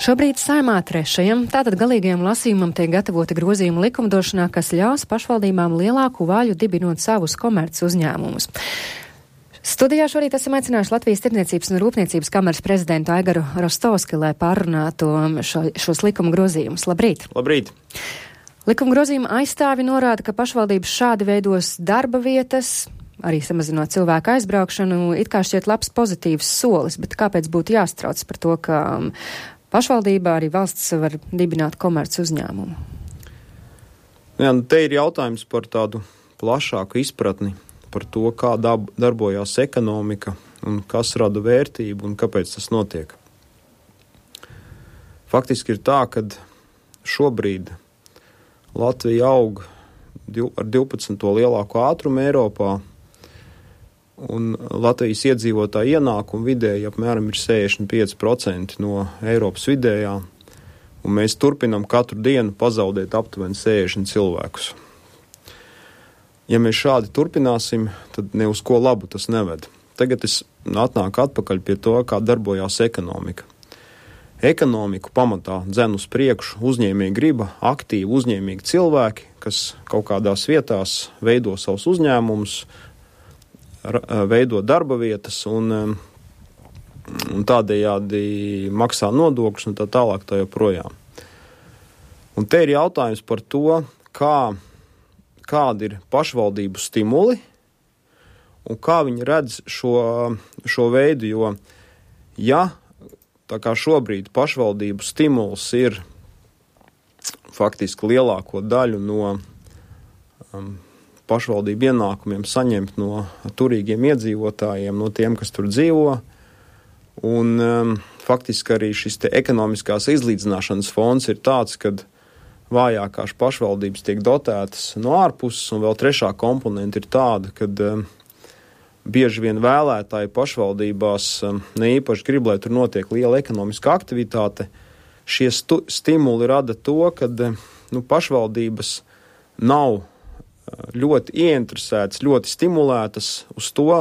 Šobrīd Saeimā 3. tātad galīgajam lasījumam tiek gatavoti grozījumi likumdošanā, kas ļaus pašvaldībām lielāku vaļu dibinot savus komerc uzņēmumus. Studijā šorīt esam aicinājuši Latvijas Tirdzniecības un Rūpniecības kameras prezidentu Aigaru Rostovski, lai pārunātu šos likuma grozījumus. Labrīt! Labrīt! Likuma grozījuma aizstāvi norāda, ka pašvaldības šādi veidos darba vietas, arī samazinot cilvēku aizbraukšanu, it kā šķiet labs pozitīvs solis, bet kāpēc būtu jāstrauc par to, ka pašvaldībā arī valsts var dibināt komerc uzņēmumu? Jā, te ir jautājums par tādu plašāku izpratni par to, kā darbojās ekonomika un kas rada vērtību un kāpēc tas notiek. Faktiski ir tā, ka šobrīd Latvija aug ar 12. lielāko ātrumu Eiropā, un Latvijas iedzīvotāju ienākumu vidēji apmēram ir 65% no Eiropas vidējā, un mēs turpinam katru dienu pazaudēt aptuveni 60 cilvēkus. Ja mēs šādi turpināsim, tad ne uz ko labu tas neved. Tagad es atnāku atpakaļ pie to, kā darbojās ekonomika. Ekonomiku pamatā dzen uz priekšu uzņēmēja griba, aktīvi uzņēmīgi cilvēki, kas kaut kādās vietās veido savus uzņēmumus, veido darba vietas un tādējādi maksā nodokļus un tā tālāk tā joprojām. Un te ir jautājums par to, kādi ir pašvaldību stimuli un kā viņi redz šo veidu, jo ja tā kā šobrīd pašvaldību stimuls ir faktiski lielāko daļu no pašvaldību ienākumiem saņemt no turīgiem iedzīvotājiem, no tiem, kas tur dzīvo, un faktiski arī šis te ekonomiskās izlīdzināšanas fonds ir tāds, kad vājākās pašvaldības tiek dotētas no ārpuses, un vēl trešā komponenta ir tāda, kad bieži vien vēlētāji pašvaldībās ne īpaši grib, lai tur notiek liela ekonomiska aktivitāte. Šie stimuli rada to, ka pašvaldības nav ļoti ieinteresētas, ļoti stimulētas uz to,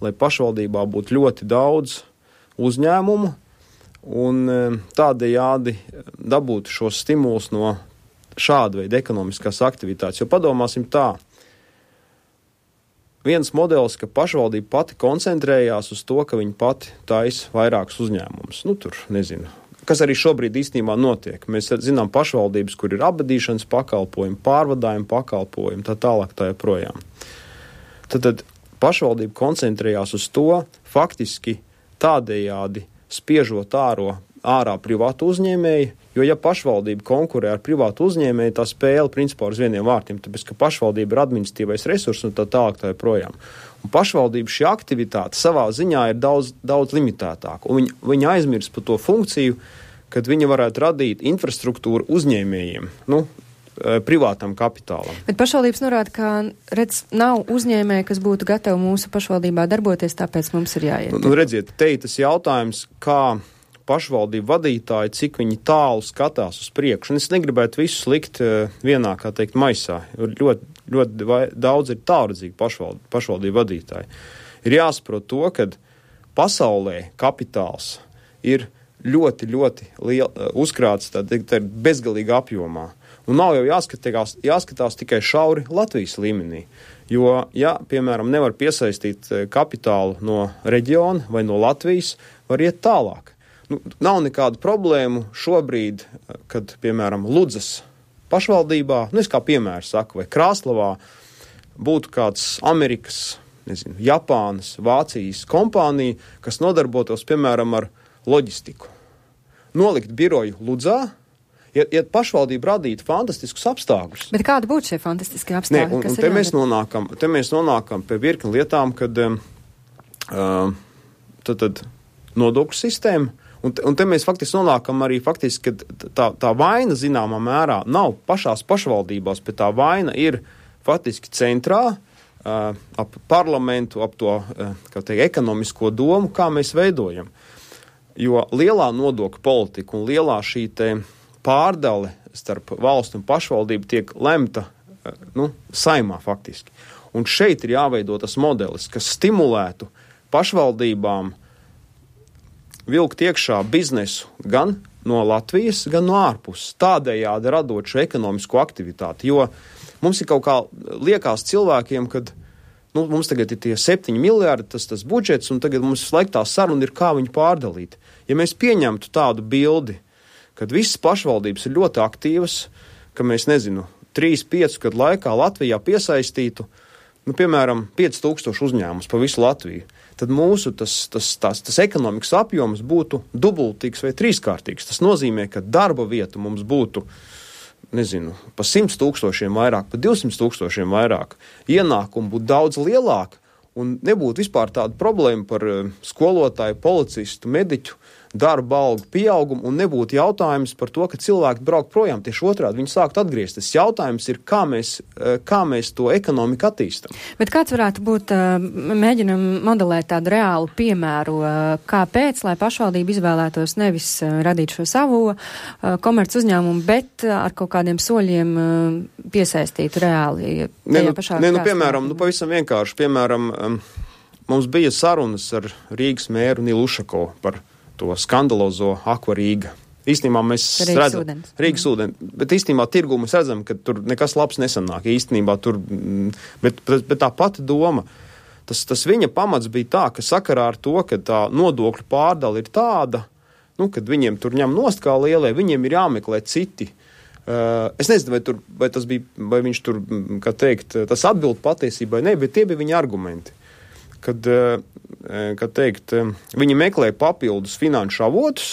lai pašvaldībā būtu ļoti daudz uzņēmumu, un tādējādi dabūtu šos stimulus no šāda veida ekonomiskās aktivitātes. Jo padomāsim tā, viens modelis, ka pašvaldība pati koncentrējās uz to, ka viņi pati taisa vairākus uzņēmumus. Tur, nezinu, kas arī šobrīd īstenībā notiek. Mēs zinām pašvaldības, kur ir apbedīšanas pakalpojumi, pārvadājumi pakalpojumi, tā tālāk tā joprojām. Tad pašvaldība koncentrējās uz to, faktiski tādējādi spiežot ārā privātu uzņēmēju, jo ja pašvaldība konkurē ar privātu uzņēmēju, tā spēle principā uz vieniem vārtiem, tāpēc, ka pašvaldība ir administratīvais resurs un tā tālāk tā joprojām. Un pašvaldība šī aktivitāte savā ziņā ir daudz limitētāka, un viņa aizmirst par to funkciju, kad viņa varētu radīt infrastruktūru uzņēmējiem, privātam kapitālam. Bet pašvaldības norāda, ka, nav uzņēmēji, kas būtu gatavi mūsu pašvaldībā darboties, tāpēc mums ir jāiet. Redziet, te ir tas jautājums, kā pašvaldību vadītāji, cik viņi tālu skatās uz priekšu. Un es negribētu visus likt vienā, kā teikt, maisā. Ļoti daudz ir tālredzīgi pašvaldību vadītāji. Ir jāsaprot to, ka pasaulē kapitāls ir ļoti, ļoti uzkrāts bezgalīgā apjomā. Un nav jau jāskatās tikai šauri Latvijas līmenī. Jo, ja, piemēram, nevar piesaistīt kapitālu no reģiona vai no Latvijas, var iet tālāk. Nav nekādu problēmu šobrīd, kad, piemēram, Ludzas pašvaldībā, es kā piemēru saku, vai Krāslavā būtu kāds Amerikas, Japānas, Vācijas kompānija, kas nodarbotos, piemēram, ar loģistiku. Nolikt biroju Ludzā, ja pašvaldība radītu fantastiskus apstākļus. Bet kādi būtu šie fantastiskie apstākļi? Te mēs nonākam pie virkni lietām, kad tad nodokļu sistēma. Un te mēs faktiski nonākam arī, ka tā vaina zināmā mērā nav pašās pašvaldībās, bet tā vaina ir faktiski centrā, ap parlamentu, ap to ekonomisko domu, kā mēs veidojam. Jo lielā nodokļu politika un lielā šī pārdale starp valstu un pašvaldību tiek lemta Saeimā faktiski. Un šeit ir jāveido tas modelis, kas stimulētu pašvaldībām vilkt iekšā biznesu gan no Latvijas, gan no ārpuses, tādējādi radot šo ekonomisko aktivitāti, jo mums ir kaut kā liekas cilvēkiem, kad mums tagad ir tie 7 miljardi, tas budžets, un tagad mums laikā tā saruna ir, kā viņu pārdalīt. Ja mēs pieņemtu tādu bildi, kad visas pašvaldības ir ļoti aktīvas, ka mēs, 3-5 gadu laikā Latvijā piesaistītu, piemēram, 5000 uzņēmumus pa visu Latviju, tad mūsu tas ekonomikas apjoms būtu dubultīgs vai trīskārtīgs. Tas nozīmē, ka darba vietu mums būtu, pa 100 000 vairāk, pa 200 000 vairāk, ienākumu būtu daudz lielāk, un nebūtu vispār tāda problēma par skolotāju, policistu, mediķu darba algu pieaugumu, un nebūtu jautājums par to, ka cilvēki brauk projām. Tieši otrādi viņi sākt atgriezties. Jautājums ir, kā mēs to ekonomiku attīstam. Bet kāds varētu būt, mēģinam modelēt tādu reālu piemēru, kāpēc, lai pašvaldība izvēlētos nevis radīt šo savu komerc uzņēmumu, bet ar kaut kādiem soļiem piesaistītu reāli. Piemēram, pavisam vienkārši. Piemēram, mums bija sarunas ar Rīgas mēru Nilu Ušakovu par to skandalozo Aqua Rīga. Īstenībā mēs redzam Rīgas ūdeni, bet īstenībā tirgū mēs redzam, ka tur nekas labs nesanāk. Īstenībā tur, bet tā pati doma, tas viņa pamats bija tā, ka sakarā ar to, ka tā nodokļu pārdala ir tāda, kad viņiem tur ņem nost kā lielie, viņiem ir jāmeklē citi. Es nezinu, vai viņš tur, kā teikt, tas atbild patiesībai, ne, bet tie bija viņa argumenti. Kad viņi meklē papildus finanšu avotus,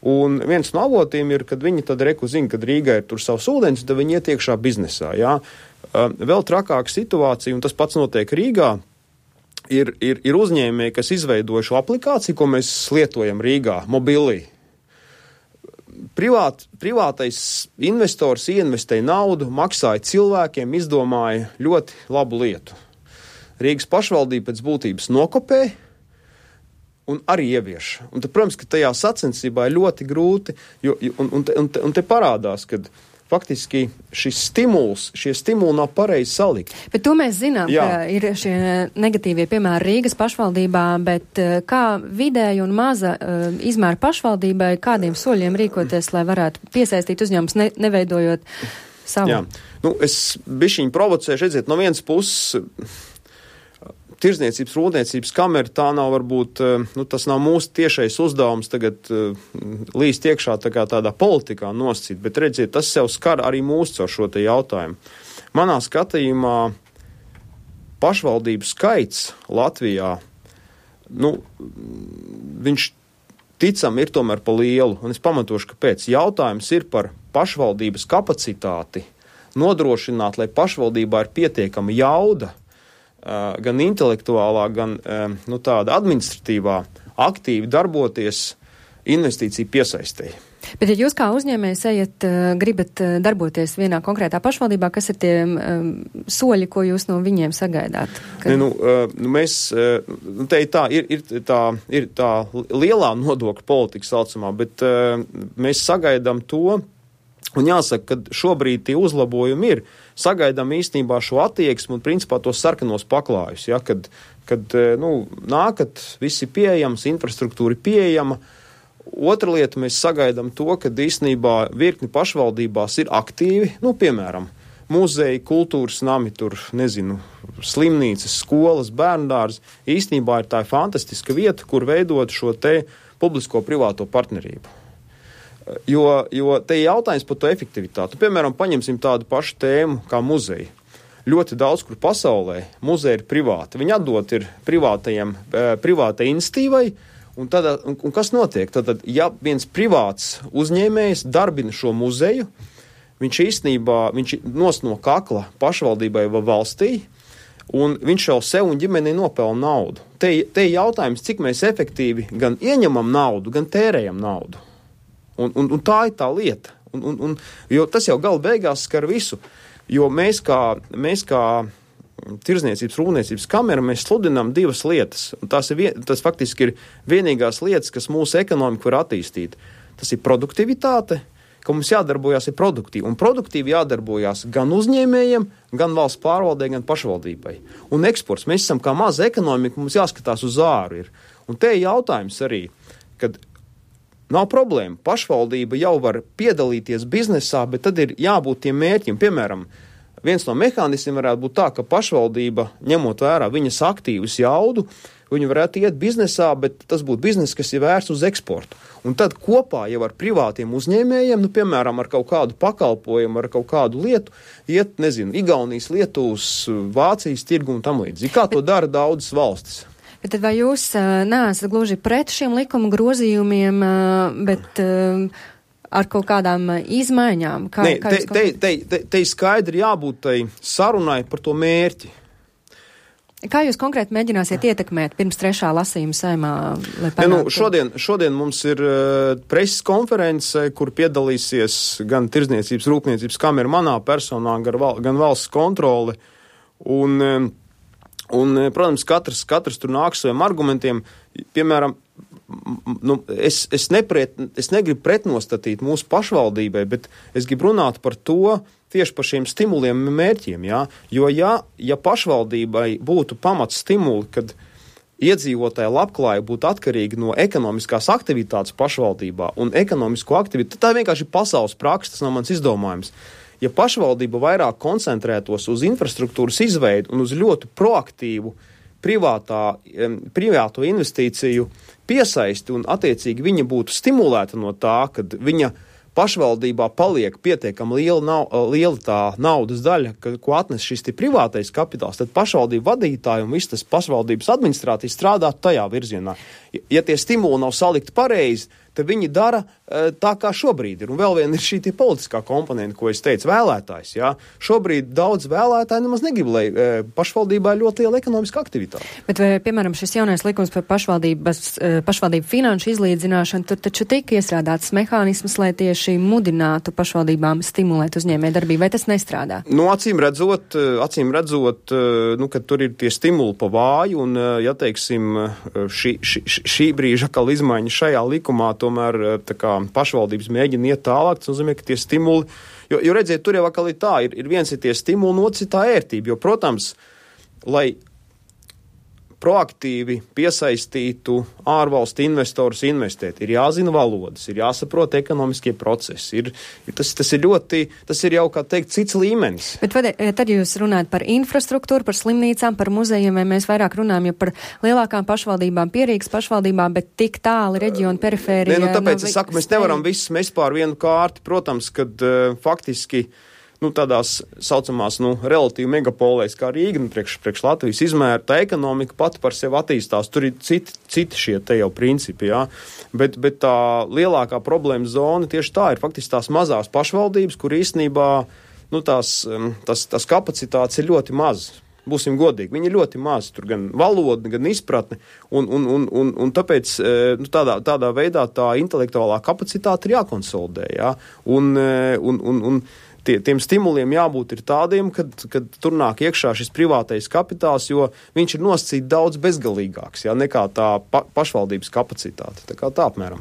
un viens no avotiem ir, kad viņi tad zina, kad Rīgā ir tur savs ūdens, tad viņi iet iekšā biznesā. Jā. Vēl trakāka situācija, un tas pats notiek Rīgā, ir uzņēmēji, kas izveidoja šo aplikāciju, ko mēs lietojam Rīgā, Mobilī. Privātais investors ieinvestēja naudu, maksāja cilvēkiem, izdomāja ļoti labu lietu. Rīgas pašvaldība pēc būtības nokopē un arī ievieš. Un tad, protams, ka tajā sacensībā ir ļoti grūti, un te parādās, ka faktiski šie stimuli nav pareizi salikti. Bet to mēs zinām, ka ir šie negatīvie piemēri Rīgas pašvaldībā, bet kā vidēja un maza izmēra pašvaldībai, kādiem soļiem rīkoties, lai varētu piesaistīt uzņēmumus, neveidojot savu? Jā, es bišķiņu provocēšu, redziet, no vienas puses Tirzniecības, rūpniecības kamera, tā nav varbūt, tas nav mūsu tiešais uzdevums tagad līst iekšā tādā politikā noscīt, bet redziet, tas sev skar arī mūs caur šo te jautājumu. Manā skatījumā pašvaldību skaits Latvijā, viņš ticam ir tomēr pa lielu, un es pamatošu, kāpēc. Jautājums ir par pašvaldības kapacitāti nodrošināt, lai pašvaldībā ir pietiekama jauda, gan intelektuālā, gan tāda administratīvā aktīvi darboties investīciju piesaistēji. Bet ja jūs kā uzņēmējs gribat darboties vienā konkrētā pašvaldībā, kas ir tie soļi, ko jūs no viņiem sagaidāt? Mēs, ir tā lielā nodokļu politika saucamā, bet mēs sagaidām to, un jāsaka, ka šobrīd tie uzlabojumi ir. Sagaidām īstenībā šo attieksmi un principā tos sarkanos paklājus, ja, kad nākat, viss ir pieejams, infrastruktūra ir pieejama. Otra lieta, mēs sagaidām to, ka īstenībā virkni pašvaldībās ir aktīvi, piemēram, muzeji, kultūras nami, slimnīcas, skolas, bērndārs. Īstenībā ir tā fantastiska vieta, kur veidot šo te publisko-privāto partnerību. Jo te ir jautājums par to efektivitāti. Piemēram, paņemsim tādu pašu tēmu kā muzeji. Ļoti daudz, kur pasaulē muzeji ir privāti. Viņi atdot ir privātai institīvai, un kas notiek? Tad, ja viens privāts uzņēmējs darbina šo muzeju, viņš nos no kakla pašvaldībai vai valstī, un viņš jau sev un ģimenei nopelna naudu. Te ir jautājums, cik mēs efektīvi gan ieņemam naudu, gan tērējam naudu. Un tā ir tā lieta. Jo tas jau gala beigās skar visu. Jo mēs kā Tirzniecības, rūpniecības kamera, mēs sludinām divas lietas. Tas faktiski ir vienīgās lietas, kas mūsu ekonomiku var attīstīt. Tas ir produktivitāte, ka mums jādarbojas ir produktīvi. Un produktīvi jādarbojas gan uzņēmējiem, gan valsts pārvaldē, gan pašvaldībai. Un eksports. Mēs esam kā maza ekonomika, mums jāskatās uz āru ir. Un te ir jautājums arī, kad Nav problēma. Pašvaldība jau var piedalīties biznesā, bet tad ir jābūt tiem mērķiem. Piemēram, viens no mehānismiem varētu būt tā, ka pašvaldība, ņemot vērā viņas aktīvus jaudu, viņi varētu iet biznesā, bet tas būtu bizness, kas ir vērsts uz eksportu. Un tad kopā jau ar privātiem uzņēmējiem, piemēram, ar kaut kādu pakalpojumu, ar kaut kādu lietu, iet, Igaunijas, Lietuvas, Vācijas tirgu un tam līdzīgi. Kā to dara daudzas valstis? Bet tad vai jūs neesat gluži pret šiem likuma grozījumiem, bet ar kaut kādām izmaiņām? Te skaidri jābūt tai sarunai par to mērķi. Kā jūs konkrēti mēģināsiet ietekmēt pirms 3. lasījuma Saeimā? Šodien mums ir preses konference, kur piedalīsies gan Tirdzniecības rūpniecības kamera manā personā, gan valsts kontrole. Un, protams, katrs tur nāk saviem argumentiem. Piemēram, es negribu pretnostatīt mūsu pašvaldībai, bet es gribu runāt par to, tieši par šiem stimuliem un mērķiem, jā? Jo ja pašvaldībai būtu pamats stimuli, kad iedzīvotāja labklājība būtu atkarīga no ekonomiskās aktivitātes pašvaldībā un ekonomisko aktivitāti, tā vienkārši pasaules praksa, tas nav mans izdomājums. Ja pašvaldība vairāk koncentrētos uz infrastruktūras izveidu un uz ļoti proaktīvu privāto investīciju piesaisti un attiecīgi viņa būtu stimulēta no tā, kad viņa pašvaldībā paliek pietiekami liela tā naudas daļa, ko atnes šis privātais kapitāls, tad pašvaldību vadītāji un viss tas pašvaldības administrācija strādā tajā virzienā. Ja tie stimuli nav salikti pareizi, tad viņi dara tā, kā šobrīd ir. Un vēl viena ir šī politiskā komponenta, ko es teicu, vēlētājs. Jā. Šobrīd daudz vēlētāji nemaz negrib, lai pašvaldībā ir ļoti liela ekonomiska aktivitāte. Bet vai, piemēram, šis jaunais likums par pašvaldību finanšu izlīdzināšanu, tur taču tika iestrādāts mehānisms, lai tieši mudinātu pašvaldībām stimulēt uzņēmējdarbību, vai tas nestrādā? Acīm redzot, ka tur ir tie stimuli pa vāju, un, ja teiksim, šī brīža atkal izmaiņa šajā likumā, tomēr tā kā pašvaldības mēģina iet tālāk, tas nozīmē, ka tie stimuli, jo redziet, tur jau atkal ir tā, ir viens ir tie stimuli, un otrs ir tā ērtība, jo, protams, lai proaktīvi piesaistītu ārvalstu investorus investēt, ir jāzina valodas, ir jāsaprot ekonomiskie procesi, tas ir jau, kā teikt, cits līmenis. Bet tad jūs runājat par infrastruktūru, par slimnīcām, par muzejiem, vai mēs vairāk runājam jau par lielākām pašvaldībām, Pierīgas pašvaldībām, bet tik tāli reģionu perifērijā? Tāpēc es saku, mēs nevaram visus mest pār vienu kārti, protams, kad faktiski tādās saucamās, relatīvi megapolēs kā Rīga, priekš Latvijas izmēra, tā ekonomika pati par sevi attīstās. Tur ir citi šie te jau principi, jā. Bet tā lielākā problēma zona tieši tā ir faktiski tās mazās pašvaldības, kur īstenībā, tās kapacitātes ir ļoti mazas. Būsim godīgi, viņi ir ļoti maz, tur gan valoda, gan izpratne, un tāpēc tādā veidā tā intelektuālā kapacitāte ir jākonsolidē, jā. Un tiem stimuliem jābūt ir tādiem, kad tur nāk iekšā šis privātais kapitāls, jo viņš ir nosacīts daudz bezgalīgāks, jā, nekā tā pašvaldības kapacitāte. Tā kā tā apmēram.